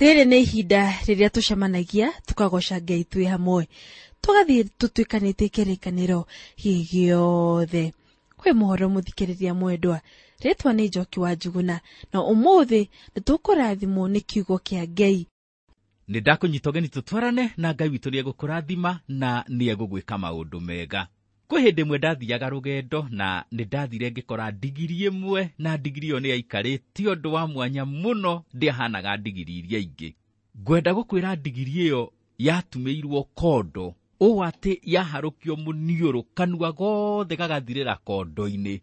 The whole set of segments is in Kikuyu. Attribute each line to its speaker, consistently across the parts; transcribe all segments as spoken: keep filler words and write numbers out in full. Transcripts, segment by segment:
Speaker 1: Rĩrĩ nĩ ihinda rĩrĩa tũcemanagia tũkagoca Ngai twĩ hamwe, tũgathiĩ tũtuĩkanĩtie kĩrĩkanĩro gĩothe. Kwĩ mũhoro mũthikĩrĩria mwendwa, rĩtwa nĩ Njoki wa Njuguna, na ũmũthĩ nĩ tũkũrathimwo nĩ kiugo kĩa Ngai.
Speaker 2: Nĩ ndakũnyita ũgeni tũtwarane na Ngai witũ nĩ egũkũrathima na nĩ egũgwĩka maũndũ mega. Kwĩ hĩndĩ ĩmwe ndathiaga rũgendo na nĩ ndathire ngĩkora ndigiri ĩmwe, na ndigiri ĩyo nĩ yaikarĩte ũndũ wa mwanya mũno, ndĩahanaga ndigiri iria ingĩ. Ngwenda gũkwĩra ndigiri ĩyo yatumĩirwo kondo, ũũ atĩ yaharũkio mũniũrũ kanua gothe gagathirĩra kondo-inĩ,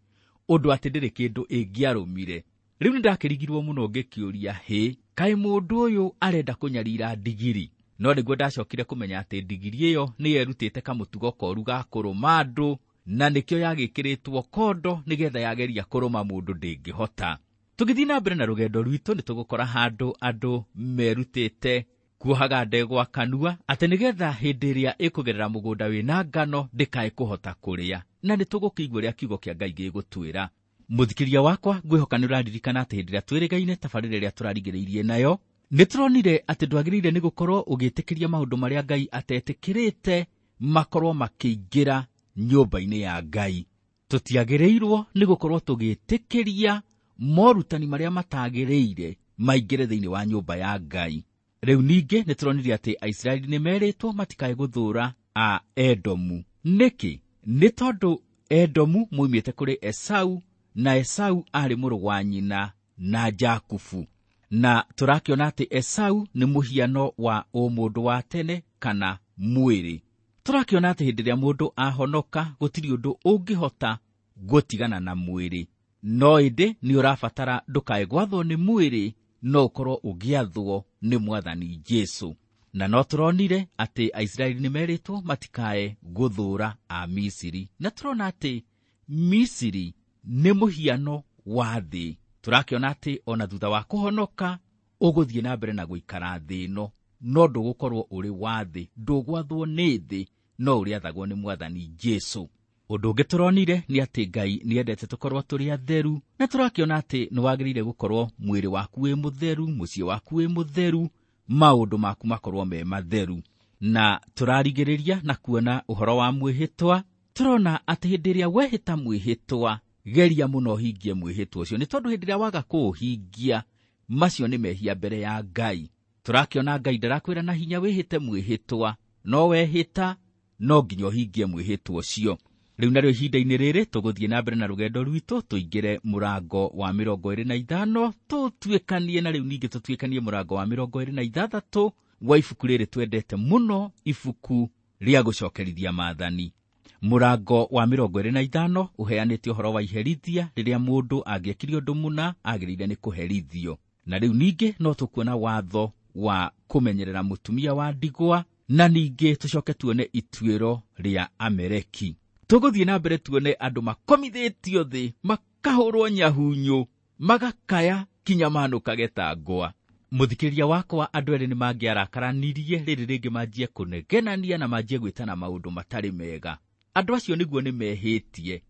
Speaker 2: ũndũ atĩ ndĩrĩ kĩndũ ĩngĩarũmire. Rĩu nĩ ndakĩrigirwo mũno ngĩkĩũria, hĩ, kaĩ mũndũ ũyũ arenda kũnyarira ndigiri? No nĩguo ndacokire kũmenya atĩ ndigiri ĩyo nĩ yerutĩte kamũtugo koru ga kũrũma andũ, na nĩkĩo yagĩkĩrĩtwo kondo nĩgetha yageria kũrũma mũndũ ndĩngĩhota. Tũgĩthiĩ na mbere na rũgendo rwitũ nĩ tũgũkora handũ andũ merutĩte kuohaga ndegwa kanua atĩ nĩgetha hĩndĩ ĩrĩa ĩkũgerera mũgũnda wĩna ngano ndĩkae kũhota kũrĩa, na nĩ tũgũkĩigua ũrĩa kiugo kĩa Ngai gĩgũtwĩra. Mũthikĩria wakwa, ngwĩhoka nĩ ũraririkana atĩ hĩndĩ ĩrĩa twĩrĩgaine tabarĩra ĩrĩa tũrarigĩrĩirie nayo, nĩ tũronire atĩ ndwagĩrĩire nĩ gũkorwo ũgĩtĩkĩria maũndũ marĩa Ngai atetĩkĩrĩte makorwo makĩingĩra nyũmba-inĩ ya Ngai. Tũtiagĩrĩirwo nĩ gũkorwo tũgĩtĩkĩria morutani marĩa matagĩrĩire maingĩre thĩinĩ wa nyũmba ya Ngai. Rĩu ningĩ nĩ tũronire atĩ Aisiraeli nĩ merĩtwo matikae gũthũra a Edomu. Nĩkĩ? Nĩ tondũ Edomu moimĩte kũrĩ Esau, na Esau arĩ mũrũ wa nyina na Jakubu. Na tũrakĩona atĩ Esau nĩ mũhiano wa ũmũndũ wa tene kana mwĩrĩ. Tũrakĩona atĩ hĩndĩ ĩrĩa mũndũ ahonoka gũtirĩ ũndũ ũngĩhota gũtigana na mwĩrĩ, no ĩndĩ nĩ ũrabatara ndũkae gwathwo nĩ mwĩrĩ, no ũkorwo ũgĩathwo nĩ Mwathani Jesũ. Na no tũronire atĩ Aisiraeli nĩ merĩtwo matikae gũthũra a Misiri, na tũrona atĩ Misiri nĩ mũhiano wa thĩ. Tũrakĩona atĩ ona thutha wa kũhonoka ũgũthiĩ na mbere na gũikara thĩ ĩno, no ndũgũkorwo ũrĩ wa thĩ, ndũgwathwo nĩ thĩ, no ũrĩathagwo nĩ Mwathani Jesũ. Ũndũ ũngĩ tũronire nĩ atĩ Ngai nĩendete tũkorwo tũrĩ atheru, na tũrakĩona atĩ nĩ wagĩrĩire gũkorwo mwĩrĩ waku wĩ mũtheru, mũciĩ waku wĩ mũtheru, maũndũ maku makorwo me matheru. Na tũrarigĩrĩria na kuona ũhoro wa mwĩhĩtwa. Tũrona atĩ hĩndĩ ĩrĩa wehĩta mwĩhĩtwa, geria mũno ũhingie mwĩhĩtwa ũcio, nĩ tondũ hĩndĩ ĩrĩa waga kũũhingia, macio nĩ mehia mbere ya Ngai. Tũrakĩona Ngai ndarakwĩra na hinya wĩhĩte mwĩhĩtwa, no wehĩta no nginya ũhingie mwĩhĩtwa ũcio. Rĩu narĩo ihinda-inĩ rĩrĩ tũgũthiĩ na mbere na rũgendo rwitũ, tũingĩre mũrango wa mĩrongo ĩrĩ na ithano, tũtuĩkanie na rĩu ningĩ tũtuĩkanie mũrango wa mĩrongo ĩrĩ na ithathatũ wa ibuku rĩrĩ twendete mũno, ibuku rĩa gũcokerithia maathani. Mũrango wa mĩrongo ĩrĩ na ithano ũheanĩte ũhoro wa iherithia rĩrĩa mũndũ angĩekire ũndũ mũna agĩrĩire nĩ kũherithio. Na rĩu ningĩ no tũkuona watho wa kũmenyerera mũtumia wa ndigwa, na ningĩ tũcoke tuone ituĩro rĩa Ameleki. Tũgũthiĩ na mbere tuone andũ makomithĩtio thĩ, makahũrwo nyahunyũ, magakaya kinya manũkage ta ngwa. Mũthikĩrĩria wakwa, andũ erĩ nĩ mangĩarakaranirie, rĩrĩ rĩngĩ manjie kũnegenania na manjie gwĩtana maũndũ matarĩ mega. Andũ acio nĩguo nĩ mehĩtie,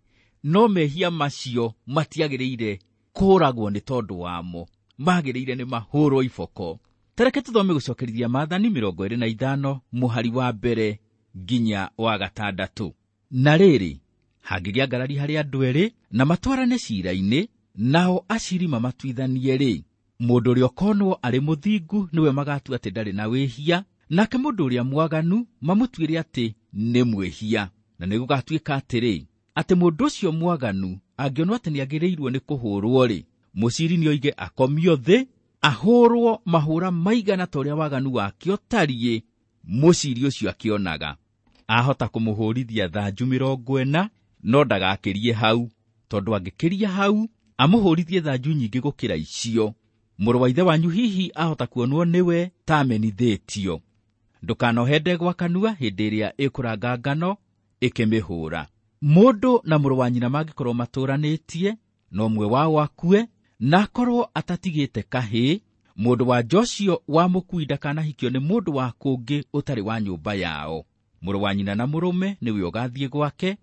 Speaker 2: no mehia macio matiagĩrĩire kũũragwo nĩ tondũ wamo, magĩrĩire nĩ mahũrwo iboko. Tareke tũthome gũcokerithia maathani mĩrongo ĩrĩ na ithano mũhari wa mbere nginya wa gatandatũ. Na rĩrĩ, hangĩgĩa ngarari harĩ andũ erĩ na matwarane ciira-inĩ, nao aciri mamatuithanie-rĩ, mũndũ ũrĩa ũkonwo arĩ mũthingu nĩwe magatua atĩ ndarĩ na wĩhia, nake mũndũ ũrĩa mwaganu mamũtuĩre atĩ nĩ mwĩhia. Na nĩ gũgatuĩka atĩrĩ, atĩ mũndũ ũcio mwaganu angĩonwo atĩ nĩagĩrĩirwo nĩ kũhũrwo-rĩ, mũciri nĩoige akomio thĩ, ahũrwo mahũra maigana ta ũrĩa waganu wake ũtariĩ, mũciri ũcio akĩonaga. Ahota kũmũhũrithia thanju mĩrongo ĩna, no ndagakĩrie hau, tondũ angĩkĩria hau amũhũrithie thanju nyingĩ gũkĩra icio. Mũrũ wa ithe wanyu hihi ahota kuonwo nĩwe ta amenithĩtio. Ndũkanohe ndegwa kanua hĩndĩ ĩrĩa ĩkũranga ngano ĩkĩmĩhũra. Mũndũ na mũrũ wa nyina mangĩkorwo matũranĩtie, na ũmwe wao akue, na akorwo atatigĩte kahĩĩ, mũndũ wa nja ũcio wa mũkui ndakanahikio nĩ mũndũ wa kũngĩ ũtarĩ wa nyũmba yao. Mũrũ wa nyina na mũrũme nĩwe ũgathiĩ gwake,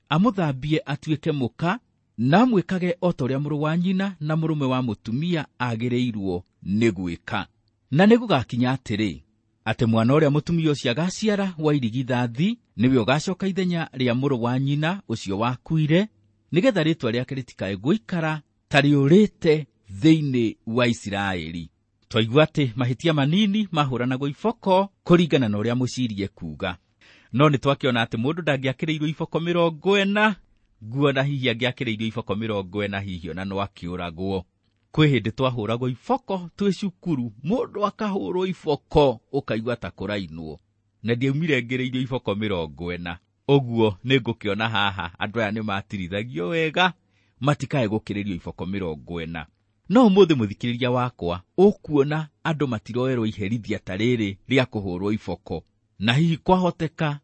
Speaker 2: amũthambie atuĩke mũka, na amwĩkage o ta ũrĩa mũrũ wa nyina na mũrũme wa mũtumia agĩrĩirwo nĩ gwĩka. Na nĩ gũgakinya atĩrĩ, atĩ mwana ũrĩa mũtumia ũcio agaciara wa irigithathi nĩwe ũgacoka ithenya rĩa mũrũ wa nyina ũcio wakuire, nĩgetha rĩtwa rĩake rĩtikae gũikara ta rĩũrĩte thĩinĩ wa Isiraeli. Twaigua atĩ mahĩtia manini mahũranagwo iboko kũringana na ũrĩa mũcirie kuuga. No nĩ twakĩona atĩ mũndũ ndangĩakĩrĩirwo iboko mĩrongo ĩna, nguona hihi angĩakĩrĩirwo iboko mĩrongo ĩna hihi ona no akĩũragwo. Kwĩ hĩndĩ twahũragwo iboko twĩ cukuru, mũndũ akahũrwo iboko ũkaigua ta kũrainwo, na ndiaumire ngĩrĩirio iboko mĩrongo ĩna. Ũguo nĩ ngũkĩona haha andũ aya nĩ matirithagio wega matikae gũkĩrĩrio iboko mĩrongo ĩna. No ũmũthĩ mũthikĩrĩria wakwa, ũkuona andũ matiroerwo iherithia ta rĩrĩ rĩa kũhũrwo iboko, na hihi kwahoteka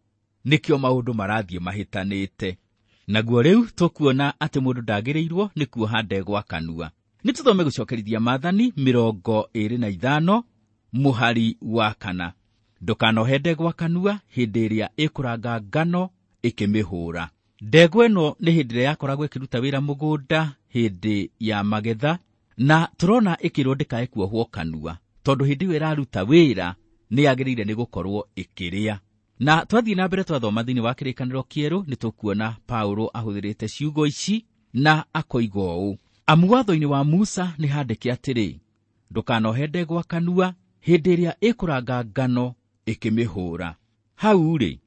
Speaker 2: nĩkĩo maũndũ marathiĩ mahĩtanĩte. Naguo rĩu tũkuona atĩ mũndũ ndagĩrĩirwo nĩ kuoha ndegwa kanua. Nĩ tũthome gũcokerithia Maathani mĩrongo ĩĩrĩ na ithano mũhari wa kana. Ndũkanohe ndegwa kanua hĩndĩ ĩrĩa ĩkũranga ngano ĩkĩmĩhũra. Ndegwa ĩno nĩ hĩndĩ ĩrĩa yakoragwo ĩkĩruta wĩra mũgũnda hĩndĩ ya magetha, na tũrona ĩkĩrwo ndĩkae kuohwo kanua, tondũ hĩndĩ ĩyo ĩraruta wĩra nĩ yagĩrĩire nĩ gũkorwo ĩkĩrĩa. Na twathiĩ na mbere twathoma thĩinĩ wa kĩrĩkanĩro kĩerũ, nĩ tũkuona Paulo ahũthĩrĩte ciugo ici na akoiga ũũ: amu watho-inĩ wa Musa nĩ handĩke atĩrĩ, ndũkanohe ndegwa kanua hĩndĩ ĩrĩa ĩkũranga ngano ĩkĩmĩhũra. Hau-rĩ,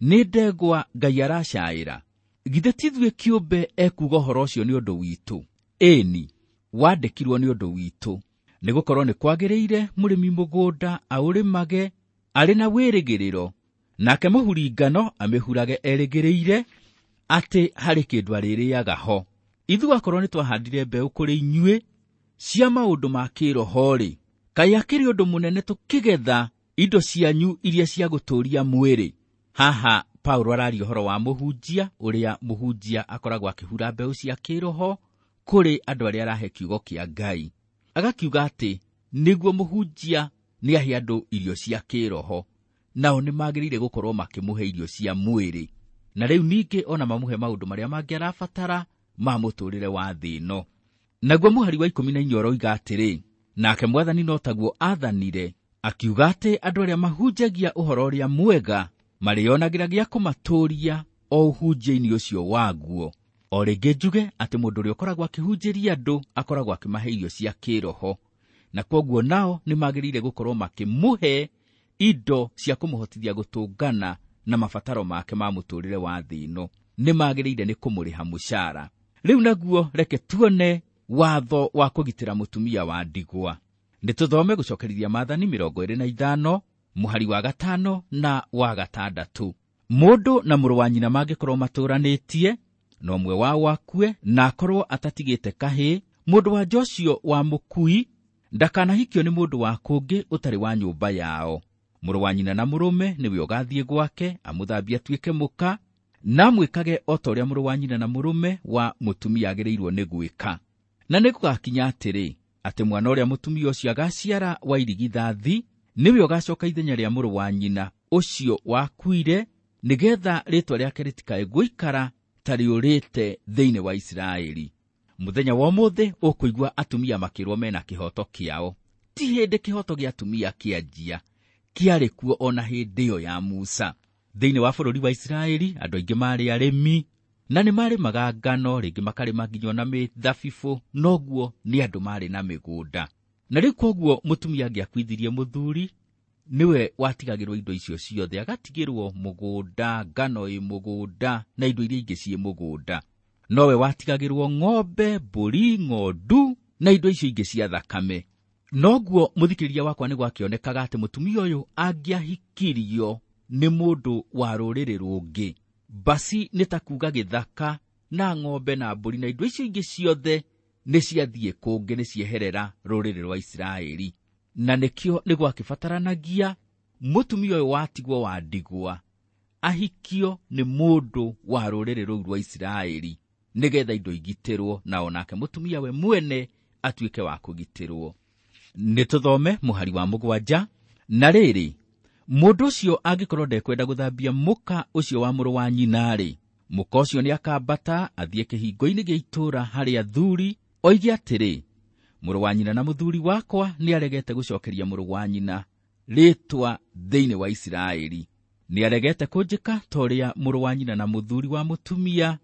Speaker 2: nĩ ndegwa Ngai aracaĩra? Githĩ ti ithuĩ kĩũmbe ekuuga ũhoro ũcio nĩ ũndũ witũ? Ĩni, wandĩkirwo nĩ ũndũ witũ, nĩgũkorwo nĩ kwagĩrĩire mũrĩmi mũgũnda aũrĩmage arĩ na wĩrĩgĩrĩro, nake mũhuri ngano amĩhurage erĩgĩrĩire atĩ harĩ kĩndũ arĩrĩaga ho. Ithuĩ akorwo nĩ twahandire mbeũ kũrĩ inyuĩ cia maũndũ ma kĩroho-rĩ, kaĩ akĩrĩ ũndũ mũnene tũkĩgetha indo cianyu iria cia gũtũũria mwĩrĩ? Haha Paulo araria ũhoro wa mũhunjia, ũrĩa mũhunjia akoragwo akĩhura mbeũ cia kĩroho kũrĩ andũ arĩa arahe kiugo kĩa Ngai. Agakiuga atĩ nĩguo mũhunjia nĩ ahe andũ irio cia kĩroho, nao nĩ magĩrĩire gũkorwo makĩmũhe irio cia mwĩrĩ, na rĩu ningĩ ona mamũhe maũndũ marĩa mangĩ arabatara ma mũtũũrĩre wa thĩ ĩno. Naguo mũhari wa ikũmi na inya ũroiga atĩrĩ, nake Mwathani no taguo aathanire, akiuga atĩ andũ arĩa mahunjagia ũhoro ũrĩa mwega marĩonagĩra gĩa kũmatũũria o ũhunjia-inĩ ũcio waguo. O rĩngĩ njuge atĩ mũndũ ũrĩa ũkoragwo akĩhunjĩria andũ akoragwo akĩmahe irio cia kĩroho, na kwoguo nao nĩ magĩrĩire gũkorwo makĩmũhe indo cia kũmũhotithia gũtũngana na mabataro make ma mũtũũrĩre wa thĩ ĩno. Nĩ magĩrĩire nĩ kũmũrĩha mũcara. Rĩu naguo reke tuone watho wa kũgitĩra mũtumia wa ndigwa. Nĩ tũthome gũcokerithia Maathani mĩrongo ĩĩrĩ na ithano mũhari wa gatano na wa gatandatũ. Mũndũ na mũrũ wa nyina mangĩkorwo matũũranĩtie, na ũmwe wao akue na akorwo atatigĩte kahĩĩ, mũndũ wa nja ũcio wa mũkui ndakanahikio nĩ mũndũ wa kũngĩ ũtarĩ wa nyũmba yao. Mũrũ wa nyina na mũrũme nĩwe ũgathiĩ gwake amũthambie atuĩke mũka, na amwĩkage o ta ũrĩa mũrũ wa nyina na mũrũme wa mũtumia agĩrĩirwo nĩ gwĩka. Na nĩ gũgakinya atĩrĩ, atĩ mwana ũrĩa mũtumia ũcio agaciara wa irigithathi nĩwe ũgacoka ithenya rĩa mũrũ wa nyina ũcio wakuire, nĩgetha rĩtwa rĩake rĩtikae gũikara ta rĩũrĩte thĩinĩ wa Isiraeli. Mũthenya wa ũmũthĩ ũkũigua atumia makĩrwo mena kĩhoto kĩao. Ti hĩndĩ kĩhoto gĩa atumia kĩanjia, kĩarĩ kuo ona hĩndĩ ĩyo ya Musa. Thĩinĩ wa bũrũri wa Isiraeli andũ aingĩ maarĩ arĩmi, na nĩ marĩmaga ngano, rĩngĩ makarĩma nginya ona mĩthabibũ, noguo nĩ andũ maarĩ na mĩgũnda. Na rĩu kwoguo mũtumia angĩakuithirie mũthuri, nĩwe watigagĩrwo indo icio ciothe, agatigĩrwo mũgũnda, ngano ĩ mũgũnda, na indo iria ingĩ ciĩ mũgũnda. Nowe watigagĩrwo ng'ombe, mbũri, ng'ondu, na indo icio ingĩ cia thakame. Noguo mũthikĩrĩria wakwa nĩ gwakĩonekaga atĩ mũtumia ũyũ angĩahikirio nĩ mũndũ wa rũrĩrĩ rũngĩ, basi nĩ ta kuuga gĩthaka na ng'ombe na mbũri na indo icio ingĩ ciothe nĩ ciathiĩ kũngĩ, nĩ cieherera rũrĩrĩ rwa Isiraeli. Na nĩkĩo nĩ gwakĩbataranagia mũtumia ũyũ watigwo wa ndigwa ahikio nĩ mũndũ wa rũrĩrĩ rũu rwa Isiraeli, nĩgetha indo igitĩrwo, na onake mũtumia we mwene atuĩke wa kũgitĩrwo. Nĩ tũthome mũhari wa mũgwanja. Na rĩrĩ, mũndũ ũcio angĩkorwo ndekwenda gũthambia mũka ũcio wa mũrũ wa nyina-rĩ, mũka ũcio nĩakambata athiĩ kĩhingo-inĩ gĩa itũũra harĩ athuri, oige atĩrĩ, Mũrũ wa nyina na mũthuri wakwa nĩaregete gũcokeria mũrũ wa nyina rĩtwa thĩinĩ wa Isiraeli. Nĩaregete kũnjĩka ta ũrĩa mũrũ wa nyina na mũthuri wa mũtumia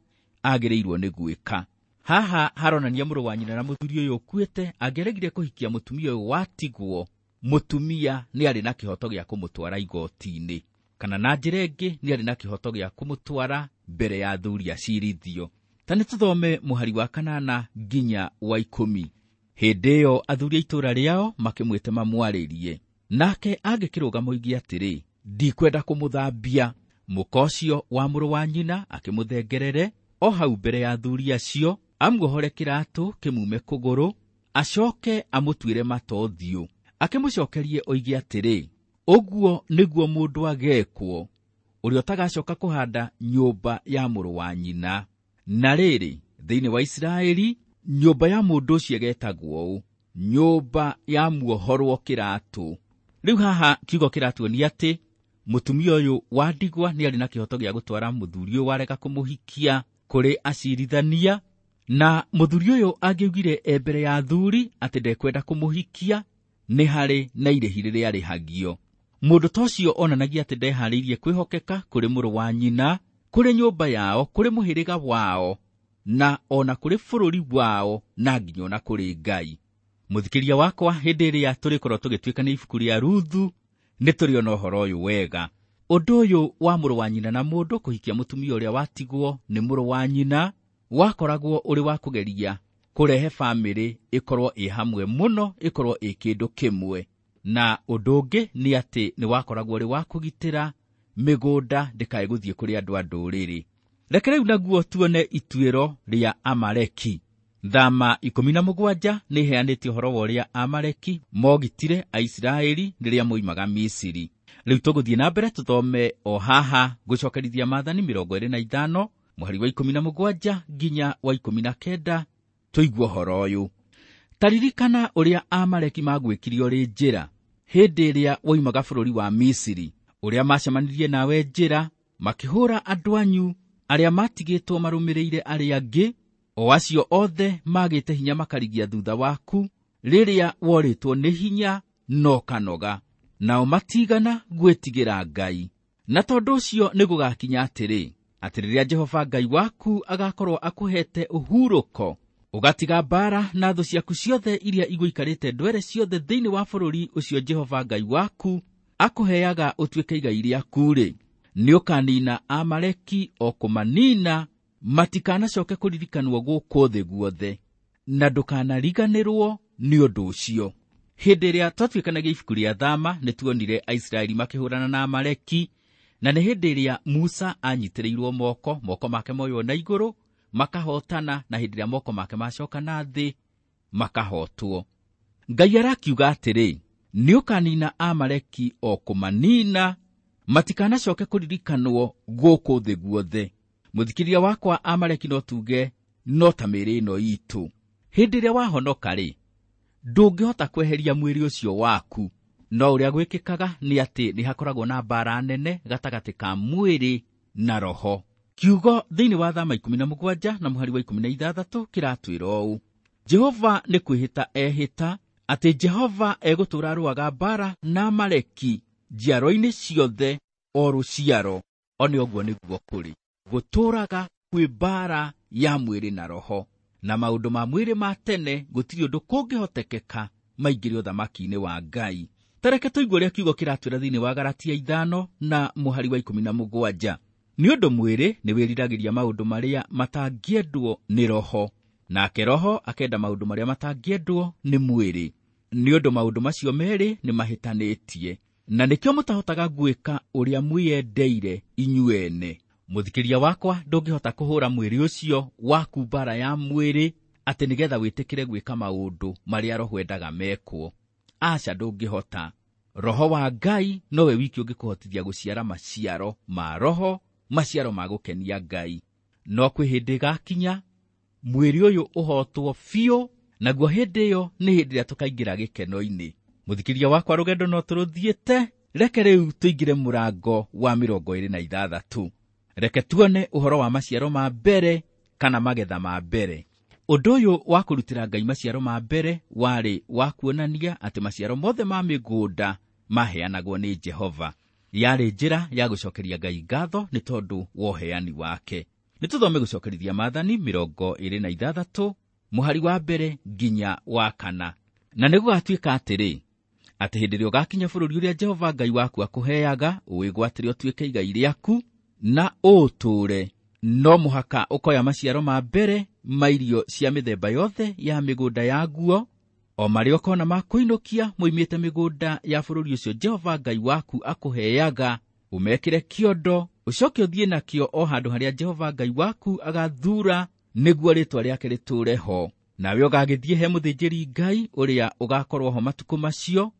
Speaker 2: agĩrĩirwo nĩ gwĩka. Haha haronania mũrũ wa nyina na mũthuri ũyũ ũkuĩte angĩaregire kũhikia mũtumia ũyũ watigwo, mũtumia nĩarĩ na kĩhoto gĩa kũmũtwara igoti-inĩ, kana na njĩra ĩngĩ nĩarĩ na kĩhoto gĩa kũmũtwara mbere ya athuri acirithio. Ta nĩtũthome mũhari wa kanana nginya wa ikũmi. Hĩndĩ ĩyo athuri a itũũra rĩao makĩmwĩte mamwarĩrie, nake angĩkĩrũgama oige atĩrĩ, ndikwenda kũmũthambia. Mũka ũcio wa mũrũ wa nyina akĩmũthengerere o hau mbere ya athuri acio, amuohore kĩratũ kĩmume kũgũrũ, acoke amũtuĩre mata ũthiũ, akĩmũcokerie oige atĩrĩ, ũguo nĩguo mũndũ agekwo ũrĩa ũtagacoka kũhanda nyũmba ya mũrũ wa nyina. Na rĩrĩ, thĩinĩ wa Isiraeli nyũmba ya mũndũ ũcio ĩgetagwo ũũ, nyũmba ya muohorwo kĩratũ. Rĩu haha kiugo kĩratuonia atĩ mũtumia ũyũ wa ndigwa nĩarĩ na kĩhoto gĩa gũtwara mũthuri ũyũ warega kũmũhikia kũrĩ acirithania, na mũthuri ũyũ angĩugire e mbere ya athuri atĩ ndekwenda kũmũhikia, nĩ harĩ na irĩhi rĩrĩa arĩhagio. Mũndũ ta ũcio onanagia atĩ ndeharĩirie kwĩhokeka kũrĩ mũrũ wa nyina, kũrĩ nyũmba yao, kũrĩ mũhĩrĩga wao, na ona kũrĩ bũrũri wao, na nginya ona kũrĩ Ngai. Mũthikĩria wakwa, hĩndĩ ĩrĩa tũrĩkorwo tũgĩtuĩkania ibuku rĩa Ruthu, nĩ tũrĩona ũhoro ũyũ wega. Ũndũ ũyũ wa mũrũ wa nyina na mũndũ kũhikia mũtumia ũrĩa watigwo nĩ mũrũ wa nyina wakoragwo ũrĩ wa kũgeria kũrehe bamĩrĩ ĩkorwo ĩ hamwe mũno, ĩkorwo ĩ kĩndũ kĩmwe. Na ũndũ ũngĩ nĩ atĩ nĩ wakoragwo ũrĩ wa kũgitĩra mĩgũnda ndĩkae gũthiĩ kũrĩ andũ a ndũrĩrĩ. Reke rĩu naguo tuone ituĩro rĩa Amaleki. Thama ikũmi na mũgwanja nĩ ĩheanĩte ũhoro wa ũrĩa Amaleki mogitire Aisiraeli rĩrĩa moimaga Misiri. Rĩu tũgũthiĩ na mbere tũthome o haha gũcokerithia maathani mĩrongo ĩrĩ na ithano mũhari wa ikũmi na mũgwanja nginya wa ikũmi na kenda, tũigue ũhoro ũyũ. Ta ririkana ũrĩa Amaleki magwĩkire ũrĩ njĩra hĩndĩ ĩrĩa woimaga bũrũri wa Misiri, ũrĩa macemanirie nawe njĩra makĩhũra andũ anyu arĩa matigĩtwo marũmĩrĩire arĩa angĩ, o acio othe magĩte hinya makarigia thutha waku rĩrĩa worĩtwo nĩ hinya no kanoga, nao matigana gwĩtigĩra Ngai. Na tondũ ũcio nĩ gũgakinya atĩrĩ, atĩ rĩrĩa Jehova Ngai waku agakorwo akũhete ũhurũko, ũgatiga mbaara na thũ ciaku ciothe iria igũikarĩte ndwere ciothe thĩinĩ wa bũrũri ũcio Jehova Ngai waku akũheaga ũtuĩke igai rĩaku-rĩ, nĩũkanina Amaleki o kũmanina, matikanacoke kũririkanwo gũkũ thĩ guothe, na ndũkanariganĩrwo nĩ ũndũ ũcio. Hĩndĩ ĩrĩa twatuĩkanagia ibuku rĩa Thama, nĩtuonire Aisiraeli makĩhũrana na Amaleki, na nĩ hĩndĩ ĩrĩa Musa anyitĩrĩirwo moko, moko make moywo na igũrũ makahotana, na hĩndĩ ĩrĩa moko make macoka na thĩ makahotwo. Ngai arakiuga atĩrĩ, nĩũkanina Amaleki o kũmanina, matikanacoke kũririkanwo gũkũ thĩ guothe. Mũthikĩria wakwa, Amaleki no tuge no ta mĩĩrĩ ĩno itũ. Hĩndĩ ĩrĩa wahonoka-rĩ, ndũngĩhota kweheria mwĩrĩ ũcio waku. No ũrĩa gwĩkĩkaga nĩ atĩ nĩ hakoragwo na mbaara nene gatagatĩ ka mwĩrĩ na roho. Kiugo thĩinĩ wa Thama ikũmi na mũgwanja na mũhari wa ikũmi na ithathatũ kĩratwĩra ũũ: Jehova nĩ kwĩhĩta ehĩta atĩ Jehova egũtũũra arũaga mbaara na Amaleki njiaro-inĩ ciothe o rũciaro. O nĩ ũguo nĩguo kũrĩ, gũtũũraga kwĩ mbaara ya mwĩrĩ na roho, na maũndũ ma mwĩrĩ ma tene gũtirĩ ũndũ kũngĩhotekeka maingĩre ũthamaki-inĩ wa Ngai. Ta reke tũigue ũrĩa kiugo kĩratwĩra thĩinĩ wa Galatia ithano na mũhari wa ikũmi na mũgwanja. Nĩ ũndũ mwĩrĩ nĩ wĩriragĩria maũndũ marĩa matangĩendwo nĩ roho, nake roho akenda maũndũ marĩa matangĩendwo nĩ mwĩrĩ. Nĩ ũndũ maũndũ macio merĩ nĩ mahĩtanĩtie, na nĩkĩo mũtahotaga gwĩka ũrĩa mwĩyendeire inyuene. Mũthikĩria wakwa, ndũngĩhota kũhũra mwĩrĩ ũcio waku mbaara ya mwĩrĩ atĩ nĩgetha wĩtĩkĩre gwĩka maũndũ marĩa roho endaga mekwo. Aca, ndũngĩhota. Roho wa Ngai nowe wiki ũngĩkũhotithia gũciara maciaro ma roho, maciaro ma gũkenia Ngai. No kwĩ hĩndĩ ĩgakinya mwĩrĩ ũyũ ũhotwo biũ, naguo hĩndĩ ĩyo nĩ hĩndĩ ĩrĩa tũkaingĩra gĩkeno-inĩ. Mũthikĩria wakwa, rũgendo no tũrũthiĩte, reke rĩu tũingĩre mũrango wa mĩrongo ĩrĩ na ithathatũ. Reke tuone ũhoro wa maciaro ma mbere kana magetha ma mbere. Ũndũ ũyũ wa kũrutĩra Ngai maciaro ma mbere warĩ wa kuonania atĩ maciaro mothe ma mĩgũnda maheanagwo nĩ Jehova. Yarĩ njĩra ya gũcokeria Ngai ngatho nĩ tondũ wa ũheani wake. Nĩ tũthome gũcokerithia maathani mĩrongo ĩrĩ na ithathatũ mũhari wa mbere nginya wa kana. Na nĩ gũgatuĩka atĩrĩ, atĩ hĩndĩ ĩrĩa ũgakinya bũrũri ũrĩa Jehova Ngai waku akũheaga, ũwĩgwatĩre ũtuĩke igai rĩaku na ũũtũũre, no mũhaka ũkoya maciaro ma mbere ma irio cia mĩthemba yothe ya mĩgũnda yaguo, o marĩa ũkona ma kũinũkia moimĩte mĩgũnda ya bũrũri ũcio Jehova Ngai waku akũheaga, ũmekĩre kĩondo, ũcoke ũthiĩ nakĩo o handũ harĩa Jehova Ngai waku agathuura nĩguo rĩĩtwa rĩake rĩtũũre ho. Nawe ũgagĩthiĩ he mũthĩnjĩri Ngai ũrĩa ũgakorwo ho matukũ macio,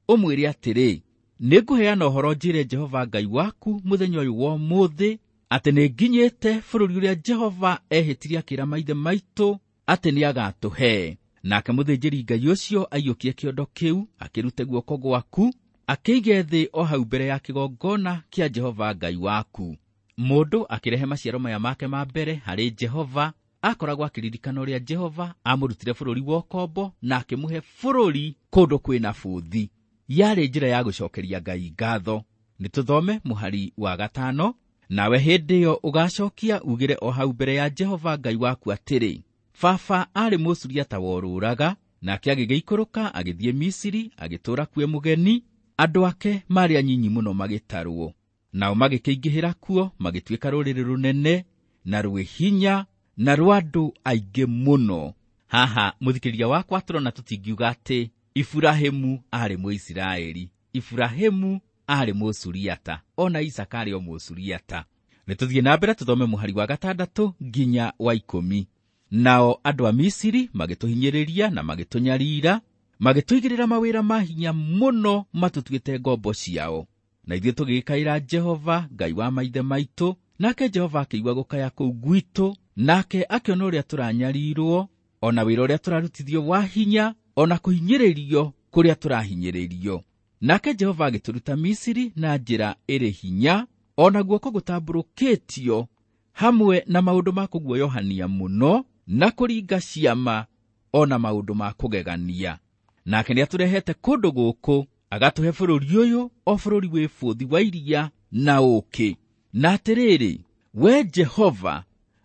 Speaker 2: ũmwĩre atĩrĩ, nĩngũheana ũhoro njĩre Jehova Ngai waku mũthenya ũyũ wa ũmũthĩ, atĩ nĩnginyĩte bũrũri ũrĩa Jehova ehĩtire akĩra maithe maitũ atĩ nĩagatũhe. Nake mũthĩnjĩri Ngai ũcio aiyũkie kĩondo kĩu, akĩrute guoko gwaku, akĩige thĩ o hau mbere ya kĩgongona kĩa Jehova Ngai waku. Mũndũ akĩrehe maciaro maya make ma mbere harĩ Jehova, akoragwo akĩririkana ũrĩa Jehova amũrutire bũrũri wa ũkombo na akĩmũhe bũrũri kũndũ kwĩna bũthi. Yarĩ njĩra ya gũcokeria Ngai ngatho. Nĩ tũthome mũhari wa gatano. Nawe hĩndĩ ĩyo ũgacokia ugĩre o hau mbere ya Jehova Ngai waku atĩrĩ, baba aarĩ Mũsuriata worũraga, nake agĩgĩikũrũka agĩthiĩ Misiri, agĩtũũra kuo mũgeni. Andũ ake maarĩ anyinyi mũno magĩtarwo, nao magĩkĩingĩhĩra kuo, magĩtuĩka rũrĩrĩ rũnene na rwĩ hinya na rwa andũ aingĩ mũno. Haha mũthikĩrĩria wakwa, tũrona tũtingiuga atĩ Iburahĩmu aarĩ Mũisiraeli. Iburahĩmu aarĩ Mũsuriata, ona Isaka aarĩ o Mũsuriata. Nĩ tũthiĩ na mbere tũthome mũhari wa gatandatũ nginya wa ikũmi. Nao andũ a Misiri magĩtũhinyĩrĩria na magĩtũnyarira, magĩtũigĩrĩra mawĩra ma hinya mũno matũtuĩte ngombo ciao. Na ithuĩ tũgĩkaĩra Jehova Ngai wa maithe maitũ, nake Jehova akĩigua gũkaya kũu gwitũ, nake akĩona ũrĩa tũranyarirwo, ona wĩra ũrĩa tũrarutithio wa hinya, ona kũhinyĩrĩrio kũrĩa tũrahinyĩrĩrio. Nake Jehova agĩtũruta Misiri na njĩra ĩrĩ hinya, ona guoko gũtambũrũkĩtio, hamwe na maũndũ ma kũguoyohania mũno, na kũringa ciama, ona maũndũ ma kũgegania. Nake nĩatũrehete kũndũ gũkũ, agatũhe bũrũri ũyũ, o bũrũri wĩ bũthi wa iria na ũũkĩ. Na atĩrĩrĩ, we Jehova,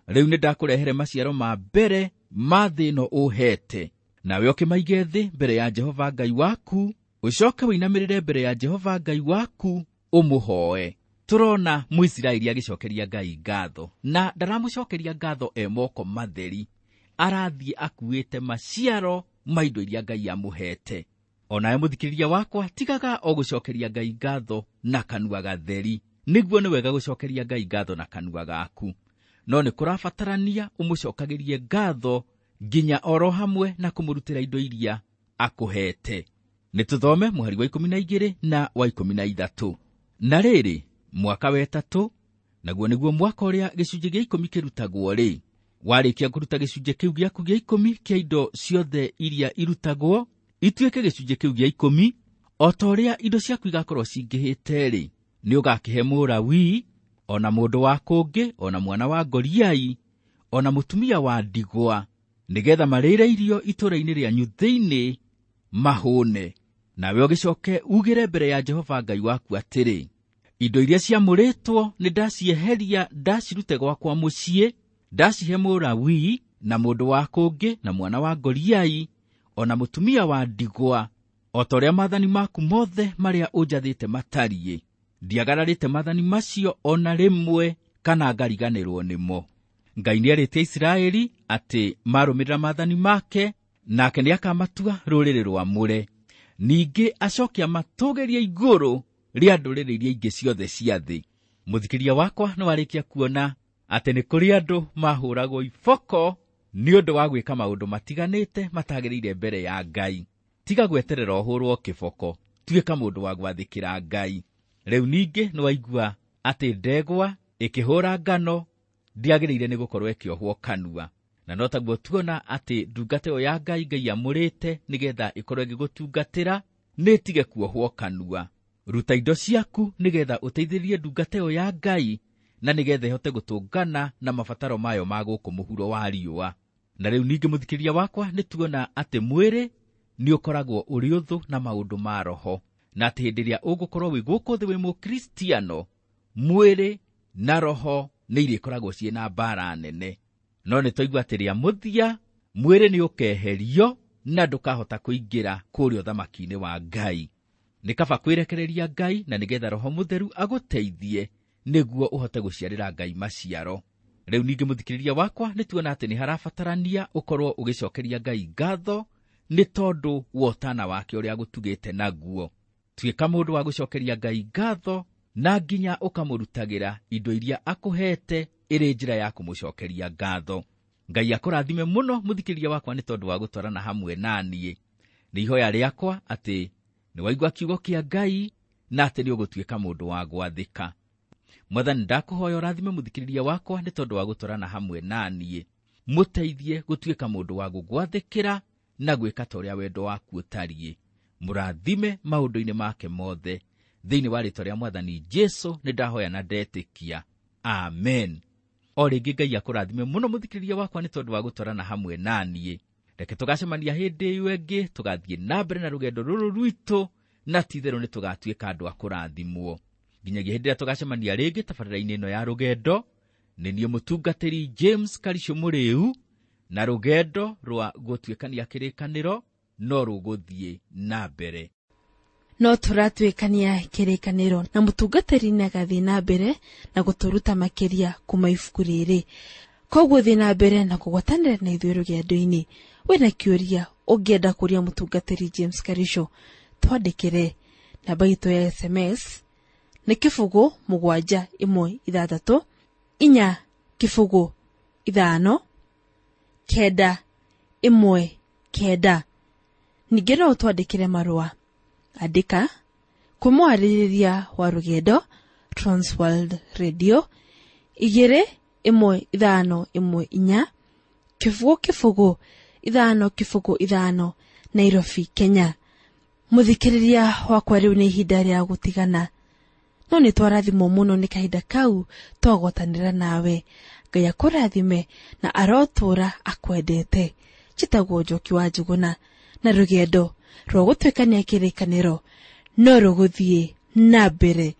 Speaker 2: rĩu nĩndakũrehere maciaro ma mbere ma thĩ ĩno ũheete. Nawe ũkĩmaige thĩ mbere ya Jehova Ngai waku, ũcoke ũinamĩrĩre mbere ya Jehova Ngai waku ũmũhoe. Tũrona Mũisiraeli agĩcokeria Ngai ngatho, na ndaramũcokeria ngatho e moko matheri. Arathiĩ akuĩte maciaro ma indo iria Ngai amũhete. Onawe mũthikĩrĩria wakwa, tigaga o gũcokeria Ngai ngatho na kanua gatheri. Nĩguo nĩ wega gũcokeria Ngai ngatho na kanua gaku, no nĩ kũrabatarania ũmũcokagĩrie ngatho nginya oro hamwe na kũmũrutĩra indo iria akũhete. Nĩ tũthome mũhari wa ikũmi na igĩrĩ na wa ikũmi na ithatũ. Na rĩrĩ, mwaka wa ĩtatũ, naguo nĩguo mwaka ũrĩa gĩcunjĩ gĩa ikũmi kĩrutagwo rĩ, warĩkia kũruta gĩcunjĩ kĩu gĩaku gĩa ikũmi kĩa indo ciothe iria irutagwo, ituĩke gĩcunjĩ kĩu gĩa ikũmi, o ta ũrĩa indo ciaku igakorwo cingĩhĩte rĩ, nĩ ũgakĩhe Mũlawii, ona mũndũ wa kũngĩ, ona mwana wa ngoriai, ona mũtumia wa ndigwa, nĩgetha marĩre irio itũũra-inĩ rĩanyu thĩinĩ mahũne. Nawe ũgĩcoke ugĩre mbere ya Jehova Ngai waku atĩrĩ, indo iria ciamũrĩtwo nĩ ndacieheria ndacirute gwakwa mũciĩ, ndacihe Mũlawii na mũndũ wa kũngĩ na mwana wa ngoriai, ona mũtumia wa ndigwa, o ta ũrĩa maathani maku mothe marĩa ũnjathĩte matariĩ. Ndiagararĩte maathani macio ona rĩmwe kana ngariganĩrwo nĩmo. Ngai nĩerĩte Isiraeli atĩ marũmĩrĩra maathani make, nake nĩakamatua rũrĩrĩ rwamũre. Ningĩ acoke amatũgĩrie igũrũ rĩa ndũrĩrĩ iria ingĩ ciothe cia thĩ. Mũthikĩria wakwa nĩwarĩkia kuona atĩ nĩ kũrĩ andũ mahũragwo iboko nĩ ũndũ wa gwĩka maũndũ matiganĩte matagĩrĩire mbere ya Ngai. Tiga gweterera ũhũrwo kĩboko, tuĩka mũndũ wa gwathĩkĩra Ngai. Rĩu ningĩ nĩwaigua atĩ ndegwa ĩkĩhũra ngano ndĩagĩrĩire nĩ gũkorwo ĩkĩohwo kanua. Na no taguo tuona atĩ ndungata ĩyo ya Ngai Ngai amũrĩte nĩgetha ĩkorwo ĩgĩgũtungatĩra nĩ ĩtige kuohwo kanua. Ruta indo ciaku nĩgetha ũteithĩrĩrie ndungata ĩyo ya Ngai na nĩgetha ĩhote gũtũngana na mabataro mayo ma gũkũ mũhuro wa riũa. Na rĩu ningĩ mũthikĩrĩria wakwa nĩ tuona atĩ mwĩrĩ nĩ ũkoragwo ũrĩ ũthũ na maũndũ ma roho, na atĩ hĩndĩ ĩrĩa ũgũkorwo wĩ gũkũ thĩ wĩ mũkristiano, mwĩrĩ na roho nĩ irĩkoragwo ciĩ na mbara nene. No nĩ twaigua atĩ rĩa mũthia mwĩrĩ nĩ ũkeherio na ndũkahota kũingĩra kũrĩa ũthamaki-inĩ wa Ngai. Nĩ kaba kwĩrekereria Ngai na nĩgetha Roho Mũtheru agũteithie nĩguo ũhote gũciarĩra Ngai maciaro. Rĩu ningĩ mũthikĩrĩria wakwa nĩ tuona atĩ nĩ harabatarania ũkorwo ũgĩcokeria Ngai ngatho nĩ tondũ wa ũtana wake ũrĩa agũtugĩte naguo. Tuĩka mũndũ wa gũcokeria Ngai ngatho na nginya ũkamũrutagĩra indo iria akũhete ĩrĩ njĩra ya kũmũcokeria ngatho. Ngai akũrathime mũno mũthikĩrĩria wakwa nĩ tondũ wa gũtwarana hamwe na niĩ. Nĩ ihoya rĩakwa atĩ nĩ waigua kiugo kĩa Ngai na atĩ nĩ ũgũtuĩka mũndũ wa gwathĩka. Mwathani, ndakũhoya ũrathime mũthikĩrĩria wakwa nĩ tondũ wa gũtwarana hamwe na niĩ. Mũteithie gũtuĩka mũndũ wa gũgwathĩkĩra na gwĩka ta ũrĩa wendo waku ũtariĩ. Mũrathime maũndũ-inĩ make mothe. Thĩinĩ wa rĩĩtwa rĩa Mwathani Jesu nĩ ndahoya na ndetĩkia. Amen. O rĩngĩ Ngai akũrathime mũno mũthikĩrĩria wakwa nĩ tondũ wa gũtwarana hamwe na niĩ. Reke tũgacemania hĩndĩ ĩyo ĩngĩ, tũgathiĩ na mbere na rũgendo rũrũ rwitũ, na ti-itherũ nĩ tũgatuĩka andũ a kũrathimwo. Nginyagia hĩndĩ ĩrĩa tũgacemania rĩngĩ tabarĩra-inĩ ĩno ya rũgendo, nĩ niĩ mũtungatĩri James Karisho Mũrĩu, na rũgendo rwa gũtuĩkania kĩrĩkanĩro no rũgũthiĩ na mbere.
Speaker 1: No tũratuĩkania kĩrĩkanĩro na mũtungatĩri nĩagathiĩ na mbere na gũtũruta makĩria kuma ibuku rĩrĩ. Koguo thiĩ na mbere na kũgwatanĩra na ithuĩ rũgendo-inĩ. Wĩna kĩũria ũngĩenda kũria mũtungatĩri James Karisho, twandĩkĩre. Namba itũ ya S M S nĩ kĩbũgũ mũgwanja ĩmwe ithathatũ inya kĩbũgũ ithano kenda ĩmwe kenda. Ningĩ no ũtwandĩkĩre marũa. Andĩka kwĩ mwarĩrĩria wa rũgendo Transworld Radio igĩrĩ ĩmwe ithano ĩmwe inya kĩbũgũ kĩbũgũ ithano kĩbũgũ ithano Nairobi, Kenya. Mũthikĩrĩria wakwa, rĩu nĩ ihinda rĩa gũtigana, no nĩ twarathimwo mũno nĩ kahinda kau twagwatanĩra nawe. Ngai akũrathime na arotũũra akwendete. Njĩtagwo Njoki wa Njũgũna, na rũgendo rwa gũtuĩkania kĩrĩkanĩro no rũgũthiĩ na mbere.